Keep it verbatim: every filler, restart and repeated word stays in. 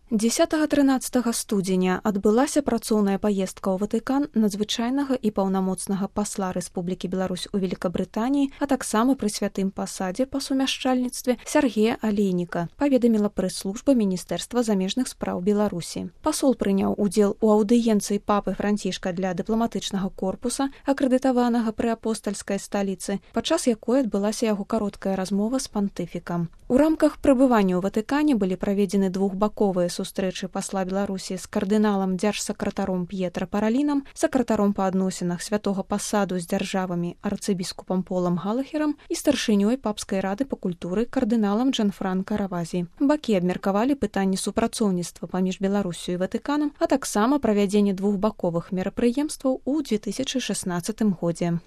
дзесятага-трынаццатага студзеня адбылася працоўная паездка ў Ватыкан надзвычайнага і паўнамоцнага пасла Рэспублікі Беларусь у Великабрытаніі, а таксама пры святым пасадзе па сумяшчальніцтве Сяргея Алейніка, паведаміла прэс-служба Міністэрства замежных спраў Беларусі. Пасол прыняў удзел у аўдыенцыі папы Францішка для дыпламатычнага корпуса, акрэдытаванага пры апостальскай сталіцы, падчас якой адбылася яго кароткая размова з пантыфікам. У рамках прыбывання ў Ватыкане былі праведзены двухбаковыя сустрэчы пасла Беларусі з кардыналам дзяржсакратаром П'етра Паралінам, сакратаром па адносінах святога пасаду з дзяржавамі арцыбіскупам Полам Галахерам і старшынёй папскай рады па культуры кардыналам Джанфранка Равазі. Бакі абмеркавалі пытанні супрацоўніцтва паміж Беларусю і Ватыканам, а таксама правядзенне двухбаковых мерапрыемстваў у дзве тысячы шаснаццатым годзе.